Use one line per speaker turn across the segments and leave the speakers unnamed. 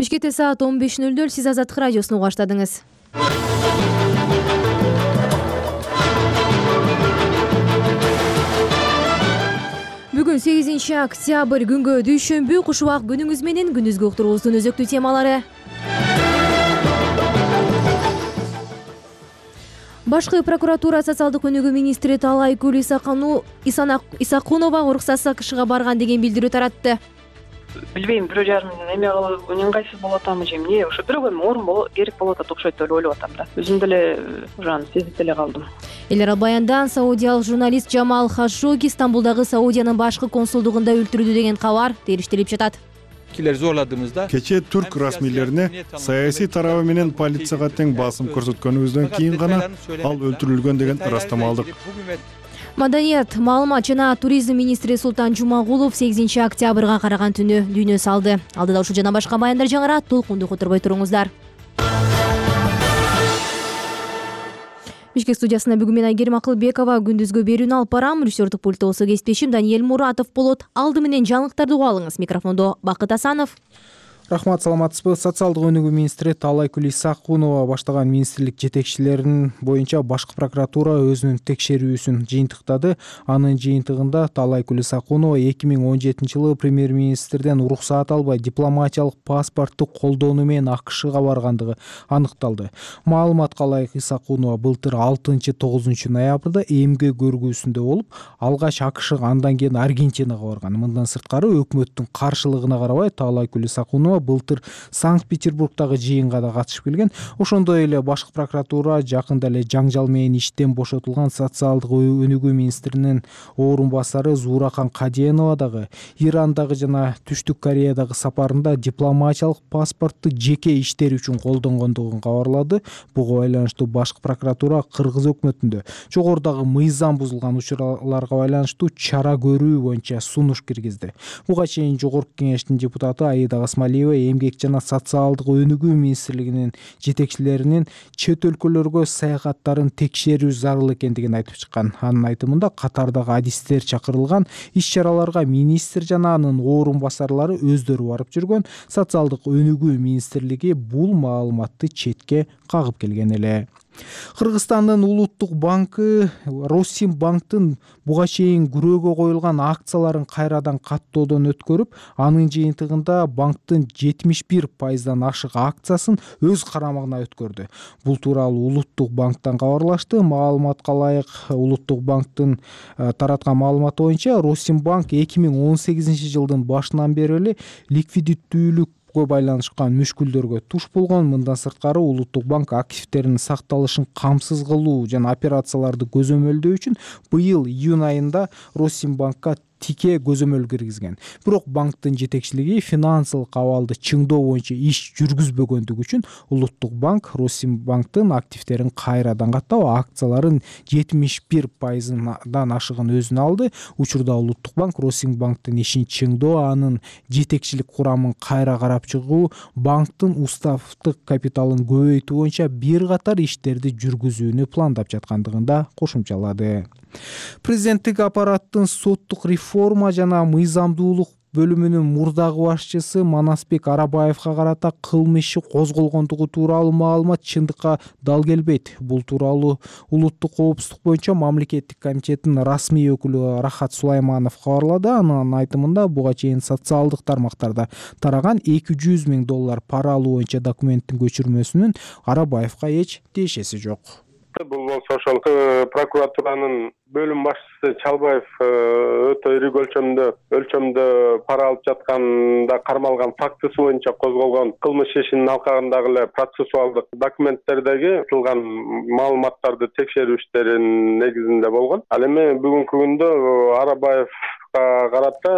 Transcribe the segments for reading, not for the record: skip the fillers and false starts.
Бишкекте саат 15:00. Сиз Азаттык радиосун угуп баштадыңыз. Бүгүн 8 октябрь күнгө дүйшөмбү. Куш убак күнүңүз менен күндүзгү уктуруубуздун өзөктүү темалары. Башкы прокуратура социалдык өнүгүү министри Талайкүл Исакунова уруксатсыз КШга барган деген билдирүү таратты.
Билбейм, 1,5 эме кылып ыңгайсыз болуп атамы же эмне, ошо бирок эми орун керек болуп атат окшойт деп ойлоп атам да. Өзүм деле ушаны сезип деле калдым.
Эл аралык баяндан саудиялык журналист Жамал Хашоги Стамбулдагы Саудиянын башкы консулдугунда өлтүрүлдү деген кабар териштелип жатат.
Кечээ түрк расмийлерине саясий тарабы менен полицияга тең басым көрсөткөнүбүздөн кийин гана ал өлтүрүлгөн деген ырастама алдык.
Маданият, маалымат жана туризм министри Султан Жумагулов 8 октябрга караган түнү дүйнө салды. Алдыда ушул жана башка баяндар жаңырат, толкунду которбой туруңуздар. Бишкек студиясында бүгүн мен Айгерим Акылбекова күндүзгү берүүнү алып барам. Режиссердик пультта болсо кесиптешим Даниэль Муратов болот. Алды менен жаңылыктарды угуп алыңыз. Микрофондо Бакыт Асанов.
Рахмат, саламатсызбы? Социалдык өнүгүү министри Талайкүл Исакунова баштаган министрлик жетекчилеринин боюнча башкы прокуратура өзүнүн текшерүүсүн жыйынтыктады. Анын жыйынтыгында Талайкүл Исакунова 2017-жылы премьер-министрден уруксаат албай дипломатиялык паспортту колдонуу менен АКШга баргандыгы аныкталды. Маалыматка ылайык Исакунова былтыр 6-9 ноябрда эмгек көргүүсүндө болуп, алгач АКШга, андан кийин Аргентинага барган. Мындан сырткары өкмөттүн каршылыгына карабай Талайкүл Исакунова былтыр Санкт-Петербургдагы жыйынга да катышып келген. Ошондой эле башкы прокуратура жакында эле жаңжал менен иштен бошотулган социалдык өнүгүү министринин орун басары Зууракан Каденова дагы Ирандагы жана Түштүк Кореядагы сапарында дипломатиялык паспортту жеке иштери үчүн колдонгондугун кабарлады. Буга байланыштуу башкы прокуратура Кыргыз өкмөтүндө жогорудагы мыйзам бузулган учурларга байланыштуу чара көрүү боюнча сунуш киргизди. Буга чейин Жогорку Кеңештин депутаты Аида Гасмалиева эмгек жана социалдык өнүгүү министрлигинин жетекчилеринин чет өлкөлөргө саякаттарын текшерүү зарыл экендигин айтып чыккан. Анын айтымында катардагы адистер чакырылган, иш-чараларга министр жана анын орун басарлары өздөрү барып жүргөн. Социалдык өнүгүү министрлиги бул маалыматты четке кагып келген эле. Кыргызстандын улуттук банкы Россимбанктын буга чейин күрөөгө коюлган акцияларын кайрадан каттоодон өткөрүп, анын жыйынтыгында банктын 71% ашык акциясын өз карамагына өткөрдү. Бул тууралуу улуттук банктан кабарлашты. Маалыматка ылайык улуттук банктын тараткан маалыматы боюнча Россимбанк 2018-жылдын башынан бери эле ликвидиттүүлүк байланышкан мүшкүлдөргө туш болгон. Мындан сырткары улуттук банк активтеринин сакталышын камсыз кылуу жана операцияларды көзөмөлдөө үчүн быйыл июнь айында Россимбанкка тике көзөмөл киргизген. Бирок банктын жетекчилиги финансылык абалды чыңдоо боюнча иш жүргүзбөгөндүгү үчүн улуттук банк Россимбанктын активтерин кайрадан каттап, акцияларын 71%дан ашыгын өзүнө алды. Учурда улуттук банк Россимбанктын ишин чыңдоо, анын жетекчилик курамын кайра карап чыгуу, банктын уставдык капиталын көбөйтүү боюнча бир катар иштерди жүргүзүүнү пландап жаткандыгын да кошумчалады. Президенттик аппараттын соттук реформа жана мыйзамдуулук бөлүмүнүн мурдагы башчысы Манасбек Арабаевга карата кылмыш иши козголгондугу тууралуу маалымат чындыкка дал келбейт. Бул тууралуу улуттук коопсуздук боюнча мамлекеттик комитеттин расмий өкүлү Рахат Сулайманов кабарлады. Анын айтымында буга чейин социалдык тармактарда тараган $200,000 пара алуу боюнча документтин көчүрмөсүнүн Арабаевга эч тиешеси жок.
Бул болсо ошол прокуратуранын бөлүм башчысы Чалбаев өтө ири өлчөмдө пара алып жатканда кармалган фактысы боюнча козголгон кылмыш ишинин алкагындагы эле процессуалдык документтердеги айтылган маалыматтарды текшерүү иштеринин негизинде болгон. Ал эми бүгүнкү күндө Арабаевга карата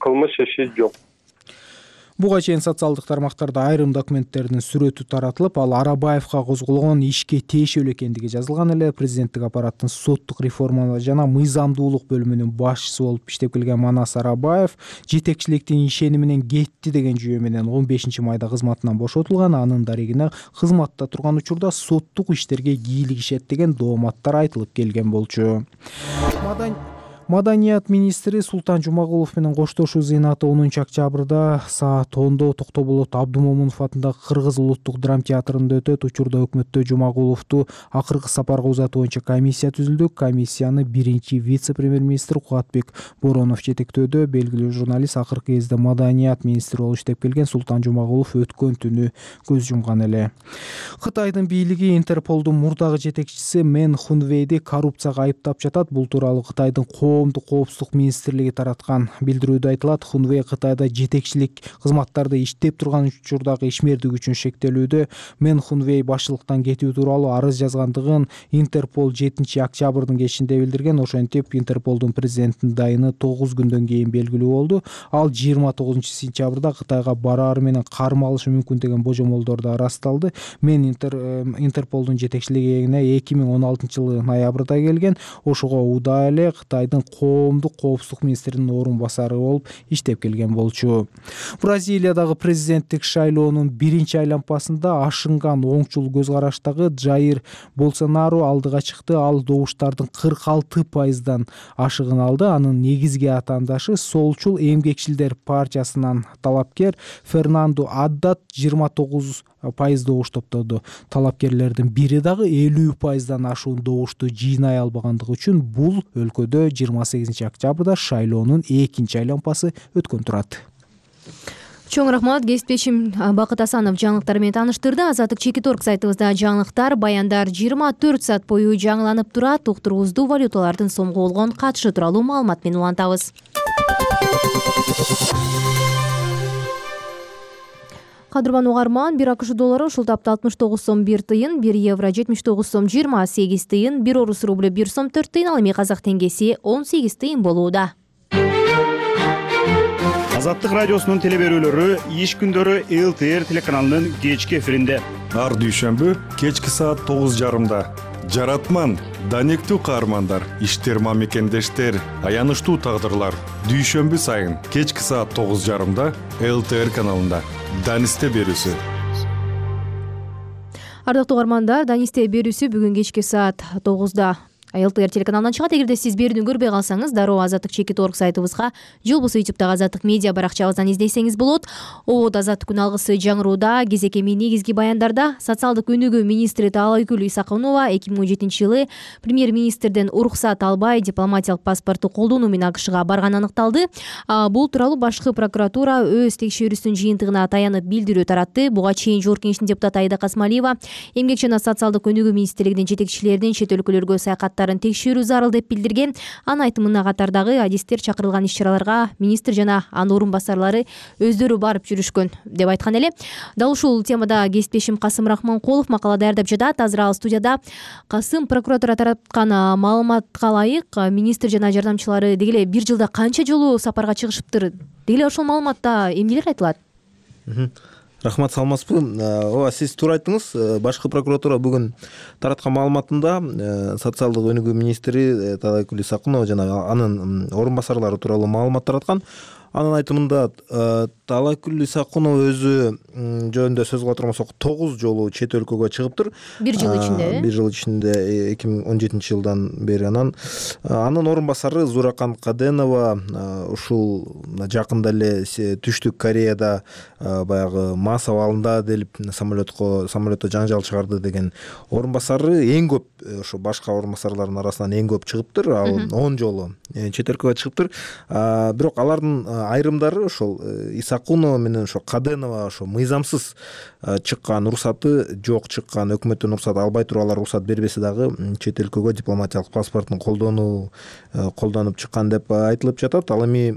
кылмыш иши жок.
Буга чейин социалдык тармактарда айрым документтердин сүрөтү таратылып, ал Арабаевга козголгон ишке тиешелүү экендиги жазылган эле. Президенттик аппараттын соттук реформа жана мыйзамдуулук бөлүмүнүн башчысы болуп иштеп келген Манас Арабаев жетекчиликтин ишени менен кетти деген жүйө менен 15-майда кызматынан бошотулган. Анын дарегине кызматта турган учурда соттук иштерге кийлигишет деген дооматтар айтылып келген болчу. Маданият министри Султан Жумагулов менен коштошуу зыйнаты 10 октябрда саат 10-до Токтоболот Абдумомунов атындагы Кыргыз улуттук драма театрында өтөт. Учурда өкмөттө Жумагуловду акыркы сапарга узатуу боюнча комиссия түзүлдү. Комиссияны биринчи вице-премьер-министр Кубатбек Бороонов жетектөөдө. Белгилүү журналист акыркы кезде Маданият министри болуп иштеп келген Султан Жумагулов өткөн түнү көз жумган эле. Кытайдын бийлиги Интерполдун мурдагы жетекчиси Мен Хунвейди коррупцияга айыптап жатат. Бул тууралуу Кытайдын коомдук коопсуздук министрлиги тараткан билдирүүдө айтылат. Хунвей Кытайда жетекчилик кызматтарда иштеп турган учурдагы ишмердик үчүн шектелүүдө. Мен Хунвей башчылыктан кетүү тууралуу арыз жазгандыгын Интерпол 7 октябрдын кечинде билдирген. Ошентип Интерполдун президенттин дайыны 9 күндөн кийин белгилүү болду. Ал 29 сентябрда Кытайга бараары менен карма алышы мүмкүн деген божомолдорду ырасталды. Мен Интерполдун жетекчилигине 2016 жылы ноябрда келген. Ошого удаа эле Кытайдын коомдук коопсуздук министринин орун басары болуп иштеп келген болчу. Бразилиядагы президенттик шайлоонун биринчи айланпасында ашынган оңчул көз караштагы Жаир Болсонару алдыга чыкты. Ал добуштардын 46% ашыгын алды. Анын негизги атаандашы Солчул эмгекчилдер партиясынан талапкер Фернандо Аддат 29% добуш топтоду. Талапкерлердин бири дагы 50%дан ашуун добушту жыйнай албагандыгы үчүн бул өлкөдө 28 октябрда шайлоонун экинчи айланпасы өткөн турат.
Чоң рахмат. Кесиптешим Бакыт Асанов жаңылыктар менен тааныштырды. Азаттык Чекиторг сайтыбызда жаңылыктар, баяндар 24 саат бою жаңыланып турат. Уктуруубузду валюталардын сомго болгон катышы тууралуу маалымат менен улантабыз. Кадырман угарман, 1 АКШ доллары ушул тапта 69 сом 1 тыйын, 1 евро 79 сом 28 тыйын, 1 орус рубль 1 сом 4 тыйын, ал эми казак теңгеси 18 тыйын болууда.
Азаттык радиосунун телеберүүлөрү иш күндөрү ЛТР телеканалынын кечки эфиринде.
Ар дүйшөмбү кечки саат 9:30. Жаратман, данектүү каармандар, иштерма мекендештер, аянычтуу тагдырлар. Дүйшөмбү сайын кечки саат 9:30 ЛТР каналында. Данисте берүүсү.
Ардактуу угармандар, Данисте берүүсү бүгүн кечки саат 9-да ЛТР телеканалынан чыгат. Эгерде сиз берүүнү көрбөй калсаңыз, дароо Азаттык Чекиторг сайтыбызга же болбосо YouTube'дагы Азаттык медиа баракчабыздан издесеңиз болот. Обод Азаттык күн алгысы жаңырууда кезек эми негизги баяндарда социалдык өнүгүү министри Таалайгүл Исакунова 2017 жылы премьер-министрден уруксат албай дипломатиялык паспортту колдонуу менен АКШга барганы аныкталды. Бул тууралуу башкы прокуратура өз текшерүүсүнүн жыйынтыгына таянып билдирүү таратты. Буга чейин Жогорку Кеңештин депутаты Айда Касмалиева Эмгек жана социалдык өнүгүү министрлигинин жетекчилеринин чет өлкөлөргө саякаттарын текшерүү зарыл деп билдирген. Анын айтымына катардагы адистер чакырылган иш-чараларга министр жана анын орун басарлары өздөрү барып жүрүшкөн деп айткан эле. Дал ушул темада кесиптешим Касым Рахманкулов макала даярдап жатат. Азыр ал студияда. Касым, прокуратура тараткан маалыматка ылайык, министр жана жардамчылары деги эле бир жылда канча жолу сапарга чыгышыптыр? Деги эле ошол маалыматта эмнелер айтылат?
Рахмат, саламатсызбы? Ооба, сиз туура айттыңыз. Башкы прокуратура бүгүн тараткан маалыматында социалдык өнүгүү министри Таалайгүл Исакунова жана анын орун басарлары тууралуу маалымат тараткан. Анын айтымында Таалайгүл Исакунова өзү жөнүндө сөз кыла турмасак 9 жолу чет өлкөгө чыгыптыр.
Бир жыл ичинде.
Бир жыл ичинде 2017 жылдан бери. Анын орун басары Зуракан Каденова ушул жакында эле Түштүк Кореяда баягы мас абалында делип самолетто жаңжал чыгарды деген орун басары эң көп, ошо башка орун басарлардын арасынан эң көп чыгыптыр. Ал 10 жолу чет өлкөгө чыгыптыр. Бирок алардын айрымдары ошол Исакунова менен ошо Каденова ошо мыйзамсыз чыккан, уруксаты жок чыккан, өкмөттөн уруксат албай туруп алар уруксат бербесе дагы чет өлкөгө дипломатиялык паспортун колдонуп чыккан деп айтылып жатат. Ал эми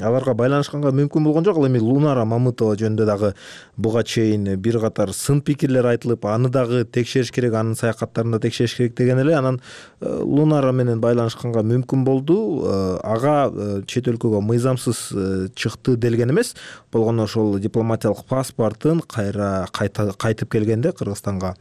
аларга байланышканга мүмкүн болгон жок. Ал эми Лунара Мамытова жөнүндө дагы буга чейин бир катар сын пикирлер айтылып, аны дагы текшериш керек, анын саякаттарын да текшериш керек деген эле. Анан Лунара менен байланышканга мүмкүн болду. Ага чет өлкөгө мыйзамсыз чыкты делген эмес, болгону ошол дипломатиялык паспортун кайтып келгенде Кыргызстанга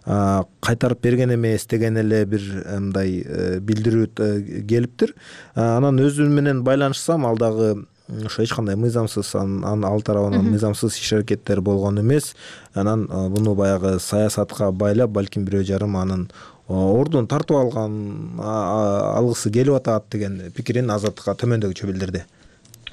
кайтарып берген эмес деген эле бир мындай билдирүү келиптир. Анан өзү менен байланышсам, ал дагы ошо эч кандай мыйзамсыз, ал тарабынан мыйзамсыз иш-аракеттер болгон эмес. Анан буну баягы саясатка байлап, балким бирөө жарым анын ордун тартып алгысы келип атат деген пикирин Азаттыкка төмөндөгүчө билдирди.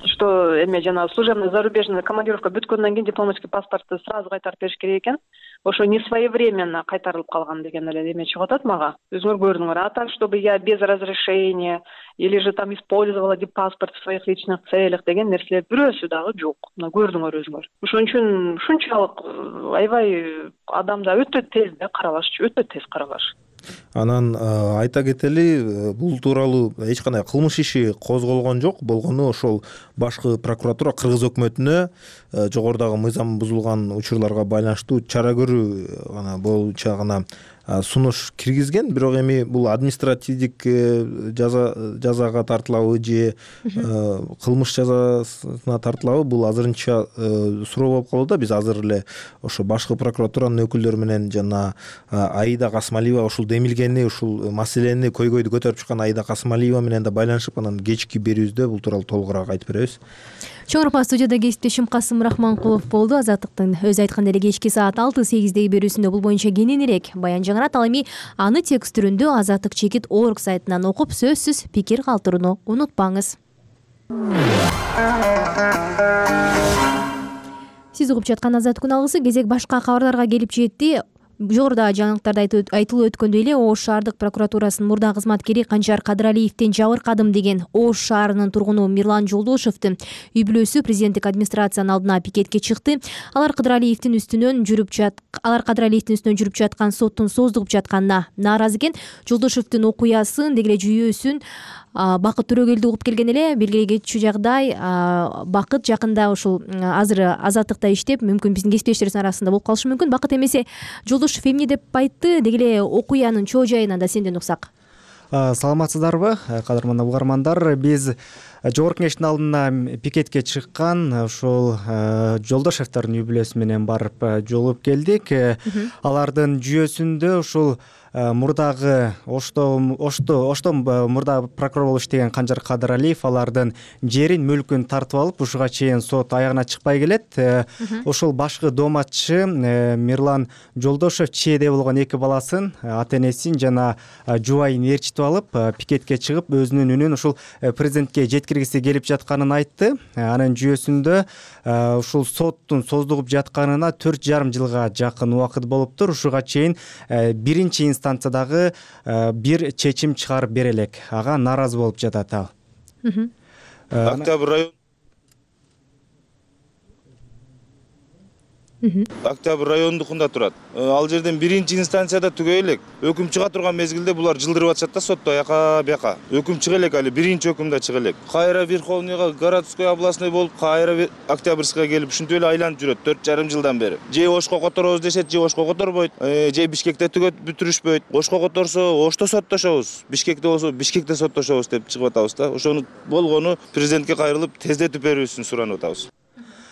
Что эме жана служебный зарубежный командировка бүткөндөн кийин дипломатический паспортты сразу кайтарып бериш керек экен. Ошо не своевременно кайтарылып калган деген эле эме чыгып атат мага. Өзүңөр көрдүңөр. А так, чтобы я без разрешения или же там использовала паспорт в своих личных целях деген нерселер бирөөсү дагы жок. Мына көрдүңөр өзүңөр. Ошон үчүн ушунчалык аябай адамда өтө тез каралашчу, өтө тез каралаш.
Анан айта кетели, бул тууралуу эч кандай кылмыш иши козголгон жок. Болгону ошол башкы прокуратура Кыргыз өкмөтүнө жогорудагы мыйзам бузулган учурларга байланыштуу чара көрүү боюнча гана сунуш киргизген. Бирок эми бул административдик жазага тартылабы же кылмыш жазасына тартылабы, бул азырынча суроо болуп калууда. Биз азыр эле ошо башкы прокуратуранын өкүлдөрү менен жана Аида Касымалиева ушул демилгени, ушул маселени көйгөйдү көтөрүп чыккан Аида Касымалиева менен да байланышып, анан кечки берүүбүздө бул тууралуу толугураак айтып беребиз.
Чоң рахмат. Студияда кесиптешим Касым Рахманкулов болду. Азаттыктын өзү айткандай эле кечки саат 6:08 берүүсүндө бул боюнча кененирээк баян жаңырат. Ал эми аны текст түрүндө azattik.org сайтынан окуп, сөзсүз пикир калтырууну унутпаңыз. Сиз угуп жаткан Азаттык күн алгысы кезек башка кабарларга келип жетти. Жогоруда жаңылыктарда айтылып өткөндөй эле Ош шаардык прокуратурасынын мурда кызматкери Канчар Кадыралиевден жабыркадым деген Ош шаарынын тургуну Мирлан Жолдошевдун үй бүлөсү президенттик администрациянын алдына пикетке чыкты. Алар Кадыралиевдин үстүнөн жүрүп жаткан соттун создугуп жатканына нааразы экен. Жолдошевдун окуясын, деги эле жүйөсүн Бакыт Төрөгелди угуп келген эле. Белгилей кетчү жагдай, Бакыт жакында ушул азыр Азаттыкта иштеп, мүмкүн биздин кесиптештерибиздин арасында болуп калышы мүмкүн. Бакыт эмесе Жолдошев эмне деп айтты? Деги эле окуянын чоо жайынан да сенден уксак.
Саламатсыздарбы, кадырман угармандар? Биз жогорку кеңештин алдына пикетке чыккан ушул Жолдошевдордун үй бүлөсү менен барып жолугуп келдик. Алардын жүйөсүндө ушул мурдагы Ошто мурда прокурор болуп иштеген Канчар Кадыралиев алардын жерин, мүлкүн тартып алып, ушуга чейин сот аягына чыкпай келет. Ушул башкы дооматчы Мирлан Жолдошев чээде болгон эки баласын, ата энесин жана жубайын ээрчитип алып, пикетке чыгып, өзүнүн үнүн ушул президентке жеткиргиси келип жатканын айтты. Анын жүйөсүндө ушул соттун создугуп жатканына 4,5 жылга жакын убакыт болуптур. Ушуга чейин биринчи инстанциядагы бир чечим чыгарып бере элек. Ага нааразы болуп жатат ал.
Октябрь райондукунда турат. Ал жерден биринчи инстанцияда түгөй элек. Өкүм чыга турган мезгилде булар жылдырып атышат да сотто аяка бияка. Өкүм чыга элек, али биринчи өкүмдө чыга элек. Кайра Верховныйга, городской, областной болуп, кайра Октябрьская келип, ушинтип эле айланып жүрөт 4,5 жылдан бери. Же Ошко которобуз дешет, же Ошко которбойт. Же Бишкекте түгөт бүтүрүшпөйт. Ошко которсо, Ошто соттошобуз. Бишкекте болсо, Бишкекте соттошобуз деп чыгып атабыз да. Ошону болгону президентке кайрылып тездетип берүүсүн суранып атабыз.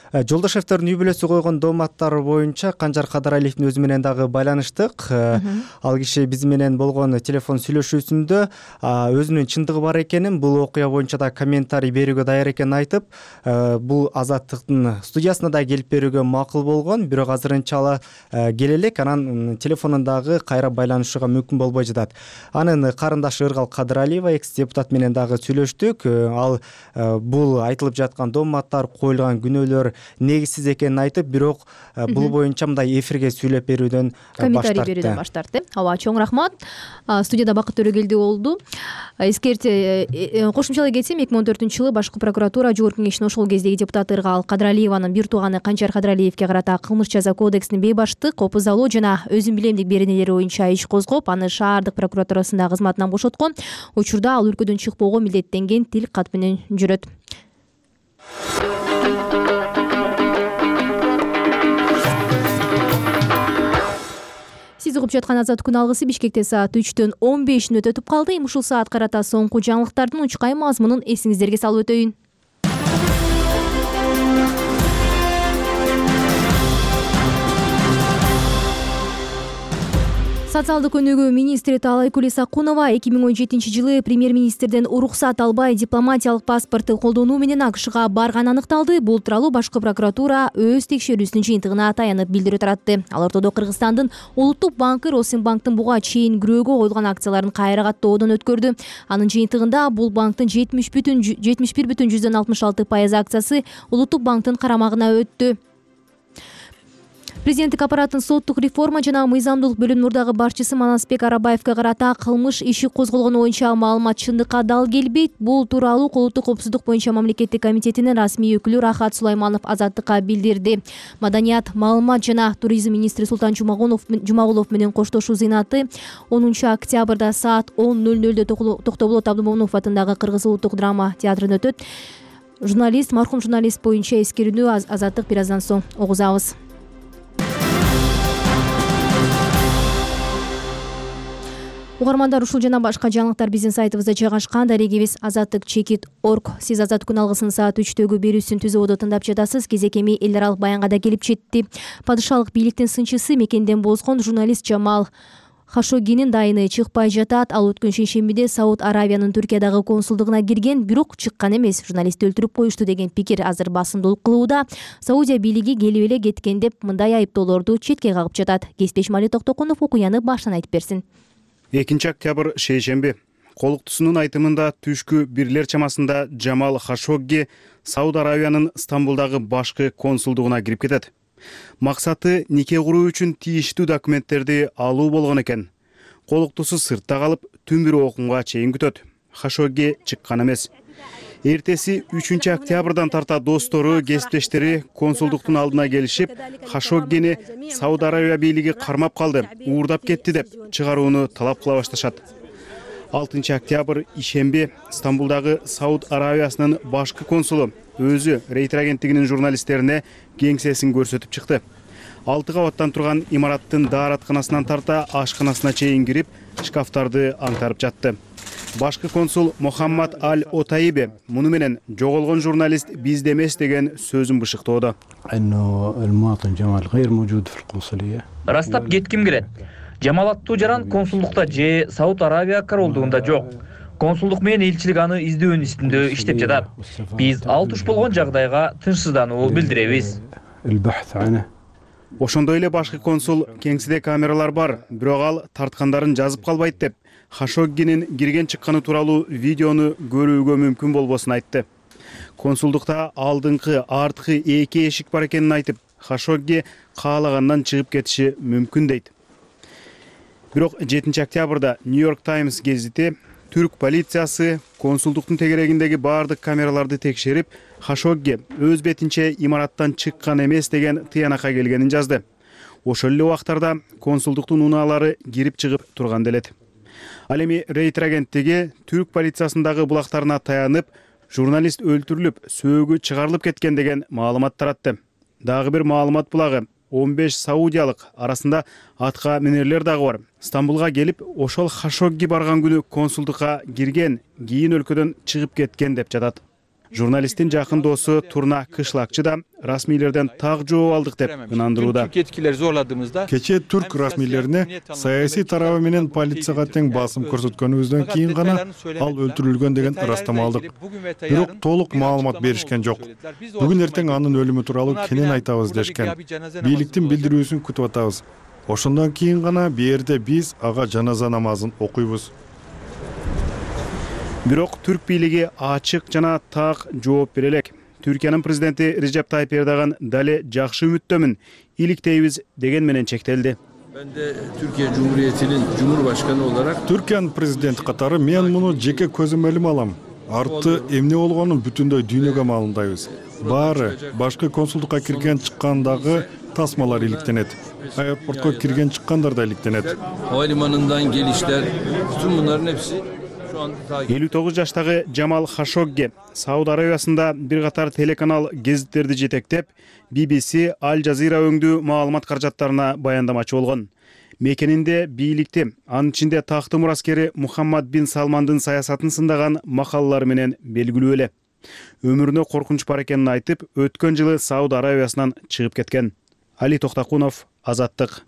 Жолдошевдордун үй бүлөсү койгон дооматтар боюнча Канчар Кадыралиевдин өзү менен дагы байланыштык. Ал киши биз менен болгон телефон сүйлөшүүсүндө өзүнүн чындыгы бар экенин, бул окуя боюнча да комментарий берүүгө даяр экенин айтып, бул Азаттыктын студиясына да келип берүүгө макул болгон, бирок азырынча ала келе элек, анан телефонундагы кайра байланышууга мүмкүн болбой жатат. Анын карындашы Ыргал Кадыралиева, экс-депутат менен дагы сүйлөштүк. Ал бул айтылып жаткан дооматтар, коюлган күнөөлөр негизсиз экенин айтып, бирок бул боюнча мындай эфирге сүйлөп берүүдөн
комментарий берүүдөн баш тартты. Ооба, чоң рахмат. Студияда Бакыт Төрөгелди болду. Кошумчалай кетсем, 2014-жылы башкы прокуратура жогорку кеңештин ошол кездеги депутаты Ыргал Кадыралиеванын бир тууганы Канчар Кадыралиевге карата кылмыш жаза кодексинин бейбаштык, опузалоо жана өзүн билемдик беренелери боюнча иш козгоп, аны шаардык прокуратурасында кызматынан бошоткон. Учурда ал өлкөдөн чыкпоого милдеттенген тил кат менен жүрөт. Сиз угуп жаткан Азаттык күн алгысы Бишкекте саат 3:15 өтүп калды. Эми ушул саат карата соңку жаңылыктардын учкай мазмунун эсиңиздерге салып өтөйүн. Социалдык өнүгүү министри Таалайкүл Исакунова 2017-жылы премьер-министрден уруксат албай дипломатиялык паспорту колдонуу менен АКШга барганы аныкталды. Бул тууралуу башкы прокуратура өз текшерүүсүнүн жыйынтыгына таянып билдирүү таратты. Ал ортодо Кыргызстандын Улуттук банкы Росинбанктын буга чейин күрөөгө коюлган акцияларын кайра каттоодон өткөрдү. Анын жыйынтыгында бул банктын 71,66% акциясы Улуттук банктын карамагына өттү. Президенттик аппараттын соттук реформа жана мыйзамдуулук бөлүмүнүн мурдагы башчысы Манасбек Арабаевге карата кылмыш иши козголгону боюнча маалымат чындыкка дал келбейт. Бул тууралуу Улуттук коопсуздук боюнча мамлекеттик комитетинин расмий өкүлү Рахат Сулайманов Азаттыкка билдирди. Маданият, маалымат жана туризм министри Султан Жумагулов менен коштошуу зыйнаты 10 октябрда саат 10:00 Токтоболот Абдымомунов атындагы Кыргыз улуттук драма театрында өтөт. Мархум журналист боюнча эскерүүнү Азаттык бир аздан соң угузабыз. Угармандар, ушул жана башка жаңылыктар биздин сайтыбызда жайгашкан. Дарегибиз azattik.org. Сиз Азаттык күн алгысын саат 3-төгү берүүсүн түзүүдө тыңдап жатасыз. Кезекеми эл аралык баянга да келип жетти. Падышалык бийликтин сынчысы мекенден бозгон журналист Жамал Хашоггинин дайыны чыкпай жатат. Ал өткөн шейшембиде Сауд Аравиянын Түркиядагы консулдугуна кирген, бирок чыккан эмес. Журналистти өлтүрүп коюшту деген пикир азыр басымдуулук кылууда. Саудия бийлиги келип эле кеткен деп мындай айыптоолорду четке кагып жатат. Кесиптешим Али Токтокунов окуяны башынан айтып берсин.
2 октябрь шейшемби. Колуктусунун айтымында түшкү 1 чамасында Жамал Хашогги Сауд Аравиянын Стамбулдагы башкы консулдугуна кирип кетет. Максаты нике куруу үчүн тийиштүү документтерди алуу болгон экен. Колуктусу сыртта калып, түн бир окумга чейин күтөт. Хашогги чыккан эмес. Эртеси 3 октябрдан тарта достору, кесиптештери консулдуктун алдына келишип, Хашоггини Сауд Аравия бийлиги кармап калды, уурдап кетти деп чыгарууну талап кыла башташат. 6 октябрь ишемби Стамбулдагы Сауд Аравиясынын башкы консулу өзү Рейтер агенттигинин журналисттерине кеңсесин көрсөтүп чыкты. 6 кабаттан турган имараттын дааратканасынан тарта ашканасына чейин кирип, шкафтарды аңтарып жатты. Башкы консул Мухаммад Аль-Отайбе муну менен жоголгон журналист бизде эмес деген сөзүн бышыктоодо.
Растап кетким келет. Жамал аттуу жаран консулдукта же Сауд Аравия королдугунда жок. Консулдук менен элчилик аны издөөнүн үстүндө иштеп жатат. Биз ал туш болгон жагдайга тынчсыздануу билдиребиз.
Ошондой эле башкы консул кеңседе камералар бар, бирок ал тарткандарын жазып калбайт деп Хашоггинин кирген чыкканы тууралуу видеону көрүүгө мүмкүн болбосун айтты. Консулдукта алдыңкы, арткы 2 эшик бар экенин айтып, Хашогги каалагандан чыгып кетиши мүмкүн дейт. Бирок 7 октябрда Нью-Йорк Таймс гезити түрк полициясы консулдуктун тегерегиндеги баардык камераларды текшерип, Хашогги өз бетинче имараттан чыккан эмес деген тыянакка келгенин жазды. Ошол эле убактарда консулдуктун унаалары кирип чыгып турган делет. Ал эми Рейтер агенттиги түрк полициясындагы булактарына таянып, журналист өлтүрүлүп, сөөгү чыгарылып кеткен деген маалымат таратты. Дагы бир маалымат булагы 15 саудиялык, арасында атка минерлер дагы бар. Стамбулга келип, ошол Хашогги барган күнү консулдукка кирген, кийин өлкөдөн чыгып кеткен деп жатат. Журналисттин жакын досу Турна Кышлакчы да расмийлерден так жооп алдык деп ынандырууда.
Кечээ түрк расмийлерине саясий тарабы менен полицияга тең басым көрсөткөнүбүздөн кийин гана ал өлтүрүлгөн деген ырастама алдык. Бирок толук маалымат беришкен жок. Бүгүн эртең анын өлүмү тууралуу кенен айтабыз дешкен. Бийликтин билдирүүсүн күтүп атабыз. Ошондон кийин гана бээрде биз ага жаназа намазын окуйбуз.
Бирок түрк бийлиги ачык жана так жооп бере элек. Түркиянын президенти Режеп Тайып Эрдоган дале жакшы үмүттөмүн, иликтейбиз деген менен чектелди.
Ben de Türkiye Cumhuriyeti'nin Cumhurbaşkanı olarak
Türkiye'nin президент катары мен муну жеке көзүм илим алам. Арты эмне болгонун бүтүндөй дүйнөгө маалымдайбыз. Баары башкы консулдукка кирген чыккандагы тасмалар иликтенет. Аэропортко кирген чыккандар да иликтенет.
Havalimanından gelişler, bütün bunların hepsi
59 жаштагы Жамал Хашогги Сауд Аравиясында бир катар телеканал гезиттерди жетектеп, BBC, Аль Жазира өңдүү маалымат каражаттарына баяндамачы болгон. Мекенинде бийликти, анын ичинде такты мураскери Мухаммад бин Салмандын саясатын сындаган макалалары менен белгилүү эле. Өмүрүнө коркунуч бар экенин айтып, өткөн жылы Сауд Аравиясынан чыгып кеткен. Али Токтокунов, Азаттык.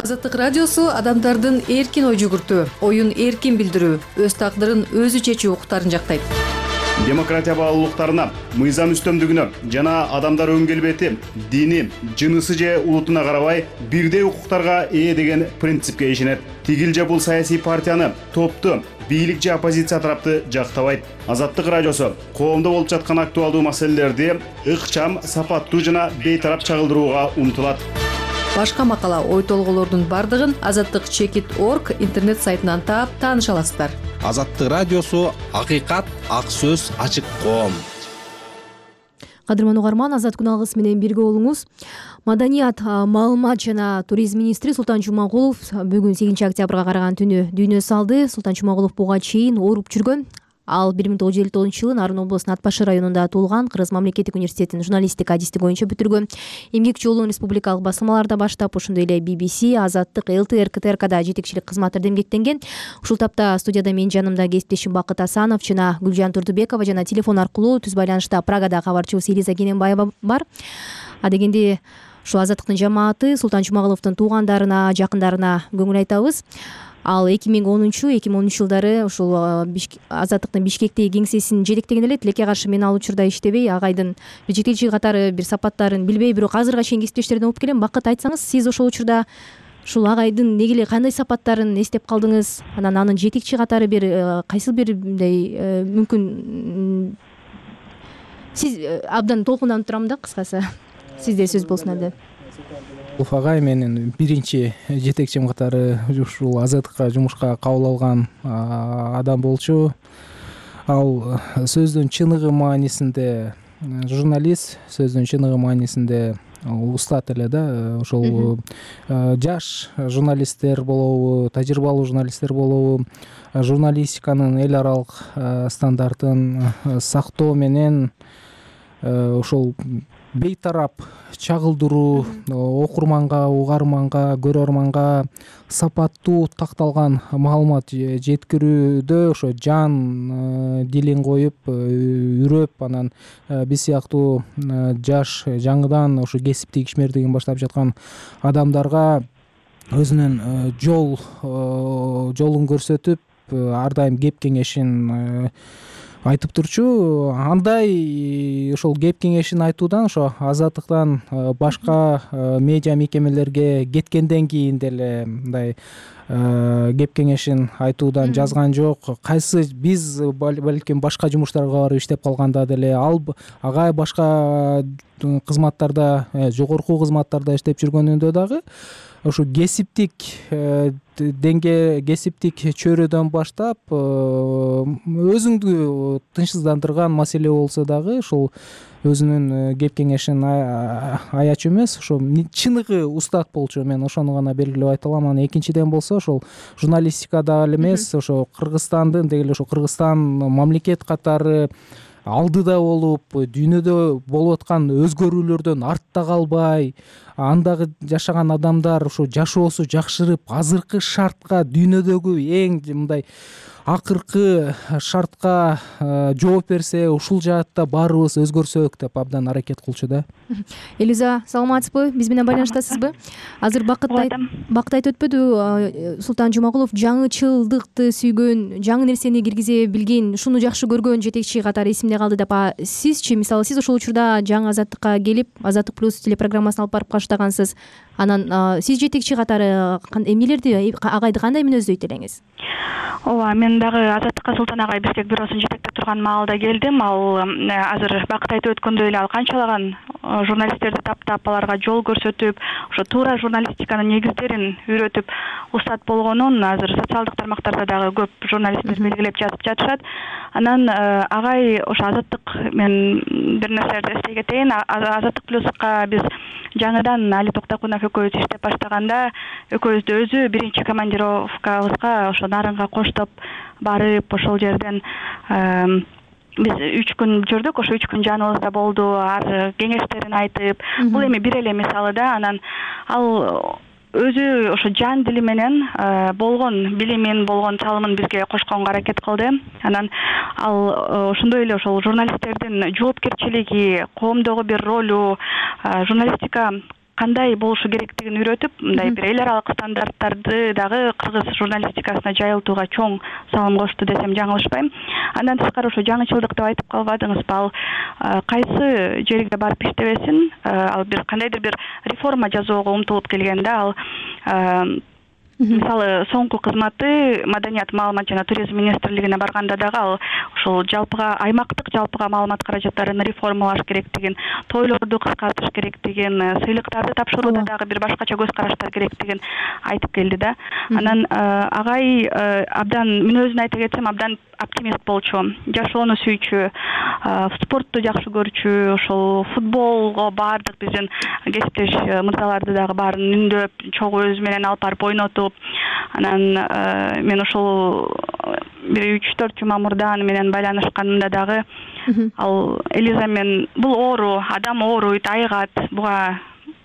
Азаттык радиосу адамдардын эркин ой жүгүртүү, оюн эркин билдирүү, өз тагдырын өзү чечүү укуктарын жактайт.
Демократия баалуулуктарына, мыйзам үстөмдүгүнө жана адамдар өн келбети, дини, жынысы же улутуна карабай бирдей укуктарга ээ деген принципке ишенет. Тигил же бул саясий партияны, топту, бийлик же оппозиция тарапты жактабайт. Азаттык радиосу коомдо болуп жаткан актуалдуу маселелерди ыкчам, сапаттуу жана бейтарап чагылдырууга умтулат.
Башка макала, ой толголордун бардыгын azattik.org интернет сайтынан таап тааныша аласыздар.
Азаттык радиосу акыйкат, ак сөз, ачык коом.
Кадырман угарман, Азат күн алгысы менен бирге болуңуз. Маданият, маалымат жана туризм министри Султан Жумагулов бүгүн 8 октябрга караган түнү дүйнө салды. Султан Жумагулов буга чейин ооруп жүргөн. Ал 1959 жылы Нарын облусунун Ат Башы районунда туулган, Кыргыз мамлекеттик университетин журналистика адистиги боюнча бүтүргөн. Эмгек жолун республикалык басылмаларда баштап, ошондой эле BBC, Азаттык, ЛТР, КТРКда жетекчилик кызматтарда эмгектенген. Ушул тапта студияда менин жанымда кесиптешим Бакыт Асанов жана Гүлжан Турдубекова жана телефон аркылуу түз байланышта Прагада кабарчыбыз Элиза Кененбаева бар. Адегенде ушул Азаттыктын жамааты Султан Жумагуловдун туугандарына, жакындарына көңүл айтабыз. Ал 2010-2013 жылдары ушул Азаттыктын Бишкектеги кеңсесин жетектеген эле. Тилекке каршы мен ал учурда иштебей, агайдын жетекчи катары бир сапаттарын билбей, бирок азыркыга чейин кесиптештерден угуп келем. Бакыт, айтсаңыз, сиз ошол учурда ушул агайдын негиле кандай сапаттарын эстеп калдыңыз? Анан анын жетекчи катары бир кайсы бир мындай мүмкүн сиз абдан толкунданып турам да, кыскасы. Сизде сөз болсун абдан.
Агай менин биринчи жетекчим катары ушул Азаттыкка жумушка кабыл алган адам болчу. Ал сөздүн чыныгы маанисинде журналист, сөздүн чыныгы маанисинде устат эле да. Ошол жаш журналисттер болобу, тажрыйбалуу журналисттер болобу, журналистиканын эл аралык стандартын сактоо менен ошол бейтарап чагылдыруу, окурманга, угарманга, көрөрманга сапаттуу такталган маалымат жеткирүүдө ошо жан дилин коюп, үрөп, анан биз сыяктуу жаш, жаңыдан ошо кесиптик ишмердигин баштап жаткан адамдарга өзүнүн жолун көрсөтүп, ар дайым кеп кеңешин айтып турчу. Андай ошол кеп кеңешин айтуудан ошо Азаттыктан башка медиа мекемелерге кеткенден кийин деле мындай кеп кеңешин айтуудан жазган жок. Кайсы биз балким башка жумуштарга барып иштеп калганда деле ал агай башка кызматтарда, жогорку кызматтарда иштеп жүргөнүндө дагы ошо кесиптик кесиптик чөйрөдөн баштап өзүңдү тынчсыздандырган маселе болсо дагы ошол өзүнүн кеп кеңешин аячу эмес, ошо чыныгы устат болчу. Мен ошону гана белгилеп айта алам. Анан экинчиден болсо ошол журналистикада эле эмес, ошо Кыргызстандын деги эле ошо Кыргызстан мамлекет катары алдыда болуп, дүйнөдө болуп аткан өзгөрүүлөрдөн артта калбай, андагы жашаган адамдар ошо жашоосу жакшырып, азыркы шартка, дүйнөдөгү эң мындай акыркы шартка жооп берсе, ушул жаатта баарыбыз өзгөрсөк деп абдан аракет кылчу да.
Элиза, саламатсызбы? Биз менен байланыштасызбы? Азыр Бакыт айтып өтпөдү, Султан Жумагулов жаңычылдыкты сүйгөн, жаңы нерсени киргизе билген, ушуну жакшы көргөн жетекчи катары эсимде калды деп. Сизчи, мисалы, сиз ошол учурда жаңы Азаттыкка келип, Азаттык плюс телепрограммасын алып барып баштагансыз. Анан сиз жетекчи катары эмнелерди, агайды кандай мүнөздөйт элеңиз?
Ооба, мен дагы Азаттыкка Султан агай Бишкек бюросун жетектеп турган маалда келдим. Ал азыр Бакыт айтып өткөндөй эле ал канчалаган журналисттерди таптап, аларга жол көрсөтүп, ошо туура журналистиканын негиздерин үйрөтүп устат болгонун азыр социалдык тармактарда дагы көп журналисттер белгилеп жазып жатышат. Анан агай ошо Азаттык, мен бир нерселерди эстей кетейин. Азаттык плюска биз жаңыдан Али Токтокунов экөөбүз иштеп баштаганда, экөөбүздү өзү биринчи командировкабызга ошо Нарынга коштоп барып, ошол жерден биз 3 күн жүрдүк. Ошо 3 күн жаныбызда болду, ар кеңештерин айтып, бул эми бир эле мисалы да. Анан ал өзү ошо жан дили менен болгон билимин, болгон чалымын бизге кошконго аракет кылды. Анан ал ошондой эле ошол журналисттердин жоопкерчилиги, коомдогу бир ролу, журналистика кандай болушу керектигин үйрөтүп, мындай бир эл аралык стандарттарды дагы кыргыз журналистикасына жайылтууга чоң салым кошту десем жаңылышпайм. Андан тышкары ошо жаңычылдык деп айтып калбадыңызбы? Ал кайсы жерге барып иштебесин, ал бир кандайдыр бир реформа жасоого умтулуп келген да. Ал мисалы соңку кызматы Маданият, маалымат жана туризм министрлигине барганда дагы ал ушул жалпыга аймактык жалпыга маалымат каражаттарын реформалаш керектигин, тойлорду кыскартыш керектигин, сыйлыктарды тапшырууда дагы бир башкача көз караштар керектигин айтып келди да. Анан агай абдан, мен өзүн айта кетсем, абдан оптимист болчу, жашоону сүйчү, спортту жакшы көрчү, ошол футболго баардык биздин кесиптеш мырзаларды дагы баарын үндөп, чогуу өзү менен алып барып ойнотуп, анан мен ошол бир 3-4 жума мурда аны менен байланышканымда дагы ал Элиза мен бул оору, адам ооруйт, айыгат, буга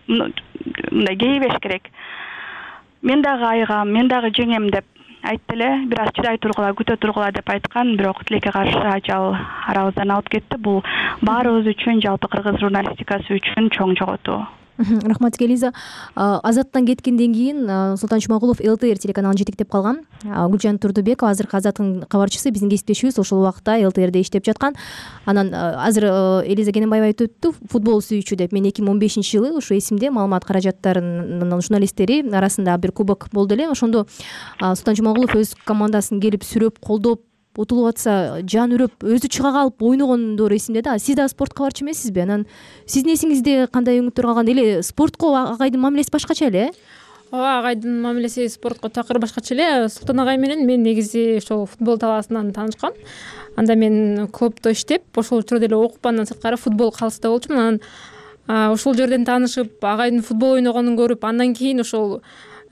мындай кейбеш керек. Мен дагы айыгам, мен дагы жеңем деп айтты эле. Бир аз чыдай тургула, күтө тургула деп айткан, бирок тилекке каршы ажал арабыздан алып кетти. Бул баарыбыз үчүн, жалпы кыргыз журналистикасы үчүн чоң жоготуу.
Рахмат Элиза. Азаттан кеткенден кийин Султан Чумагулов ЛТР телеканалын жетектеп калган. Гүлжан Турдубекова азыркы Азаттын кабарчысы, биздин кесиптешибиз, ошол убакта ЛТРде иштеп жаткан. Анан азыр Элиза Кененбаева айтып өттү, футбол сүйүүчү деп. Мен 2015-жылы ушу эсимде, маалымат каражаттарынын журналисттери арасында бир кубок болду эле. Ошондо Султан Чумагулов өз командасын келип сүрөп, колдоп, утулуп атса жан үрөп, өзү чыга калып ойногондор эсимде да. Сиз да спорт кабарчы эмессизби? Анан сиздин эсиңизде кандай үмүттөр калган? Эле спортко агайдын мамилеси башкача эле?
Ооба, агайдын мамилеси спортко такыр башкача эле. Султан агай менен мен негизи ошол футбол талаасынан таанышкам. Анда мен клубда иштеп, ошол учурда эле окуп, андан сырткары футбол калыста болчумун. Анан ошол жерден таанышып, агайдын футбол ойногонун көрүп, андан кийин ошол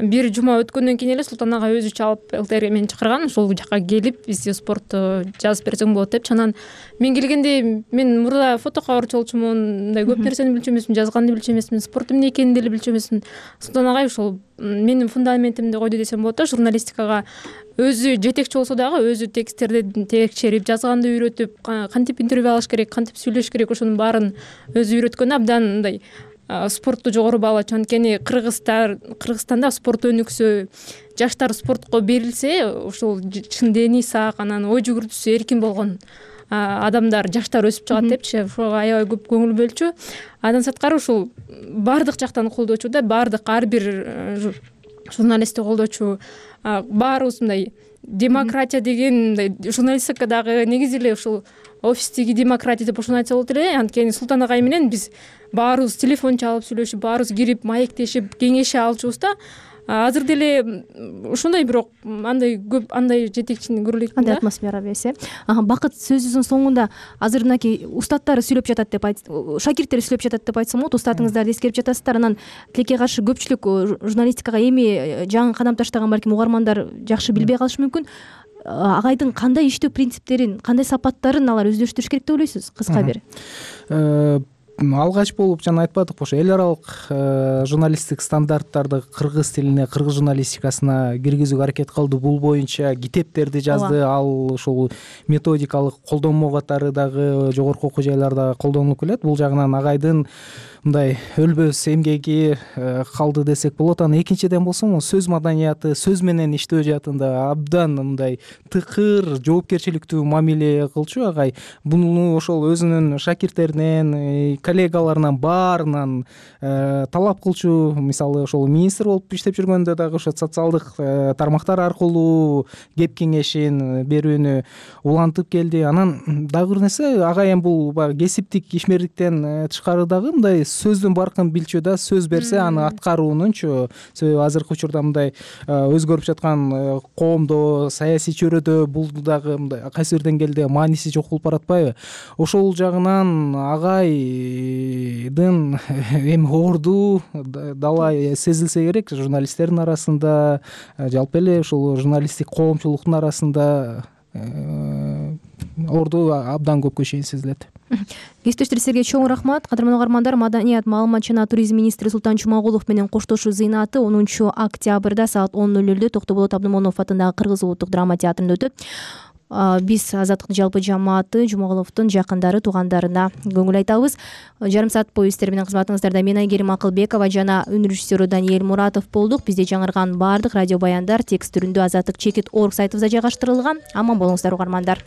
бир жума өткөндөн кийин эле Султан агай өзү чалып ЛТРге мени чакырган. Ошол жака келип, бизди спортту жазып берсең болот депчи. Анан мен келгенде мен мурда фото кабарчы болчумун, мындай көп нерсени билчү эмесмин, жазганды билчү эмесмин, спорт эмне экенин деле билчү эмесмин. Султан агай ошол менин фундаментимди койду десем болот да. Журналистикага өзү жетекчи болсо дагы өзү тексттерди текшерип, жазганды үйрөтүп, кантип интервью алыш керек, кантип сүйлөш керек, ошонун баарын өзү үйрөткөн. Абдан мындай спортту жогору баалачу. Анткени Кыргызстанда спорт өнүксө, жаштар спортко берилсе, ошол чын дени сак, анан ой жүгүртүүсү эркин болгон адамдар, жаштар өсүп чыгат депчи. Ошого аябай көп көңүл бөлчү. Андан сырткары ушул баардык жактан колдочу да, баардык ар бир журналистти колдочу. Баарыбыз мындай демократия деген, мындай журналистикадагы негизи эле ушул офистеги демократия деп ошону айтса болот эле. Анткени Султан агай менен биз баарыбыз телефон чалып сүйлөшүп, баарыбыз кирип маектешип, кеңеше алчубуз да. Азыр деле ошондой, бирок андай көп андай жетекчини көрө элек да.
Андай атмосфера бесе. Бакыт сөзүбүздүн соңунда азыр мынакей устаттары сүйлөп жатат деп шакирттер сүйлөп жатат деп айтсам болот. Устатыңыздарды эскерип жатасыздар. Анан тилекке каршы көпчүлүк журналистикага эми жаңы кадам таштаган балким угармандар жакшы билбей калышы мүмкүн. Агайдын кандай иштөө принциптерин, кандай сапаттарын алар өздөштүрүш керек деп ойлойсуз? Кыска бир.
Алгач болуп жана айтпадыкпы, ошо эл аралык журналисттик стандарттарды кыргыз тилине, кыргыз журналистикасына киргизүүгө аракет кылды. Бул боюнча китептерди жазды. Ал ушул методикалык колдонмо катары дагы жогорку окуу жайларда колдонулуп келет. Бул жагынан агайдын мындай өлбөс эмгеги калды десек болот. Анан экинчиден болсо сөз маданияты, сөз менен иштөө жаатында абдан мындай тыкыр, жоопкерчиликтүү мамиле кылчу агай. Буну ошол өзүнүн шакирттеринен, коллегаларынан баарынан талап кылчу. Мисалы ошол министр болуп иштеп жүргөндө дагы ошо социалдык тармактар аркылуу кеп кеңешин берүүнү улантып келди. Анан дагы бир нерсе, агай эми бул баягы кесиптик ишмерликтен тышкары дагы мындай сөздүн баркын билчү да. Сөз берсе аны аткаруунунчу. Себеби азыркы учурда мындай өзгөрүп жаткан коомдо, саясий чөйрөдө бул дагы мындай кайсы бир деңгээлде мааниси жок болуп баратпайбы? Ошол жагынан агайдын эми орду далай сезилсе керек журналисттердин арасында, жалпы эле ушул журналисттик коомчулуктун арасында орду абдан көпкө чейин сезилет.
Кесиптештер, сизге чоң рахмат. Кадырман угармандар, Маданият, маалымат жана туризм министри Султан Чумагулов менен коштошуу зыйнаты 10 октябрда саат 10:00 Токтоболот Абдымомунов атындагы Кыргыз улуттук драма театрында өтөт. биз Азаттыктын жалпы жамааты Жумаголовдун жакындары, туугандарына көңүл айтабыз. Жарым саат бою сиздер менен кызматыңыздарда мен Айгерим Акылбекова жана үн режиссеру Даниэль Муратов болдук. Бизде жаңырган баардык радио баяндар текст түрүндө Азаттык чекит.org сайтыбызда жайгаштырылган. Аман болуңуздар угармандар.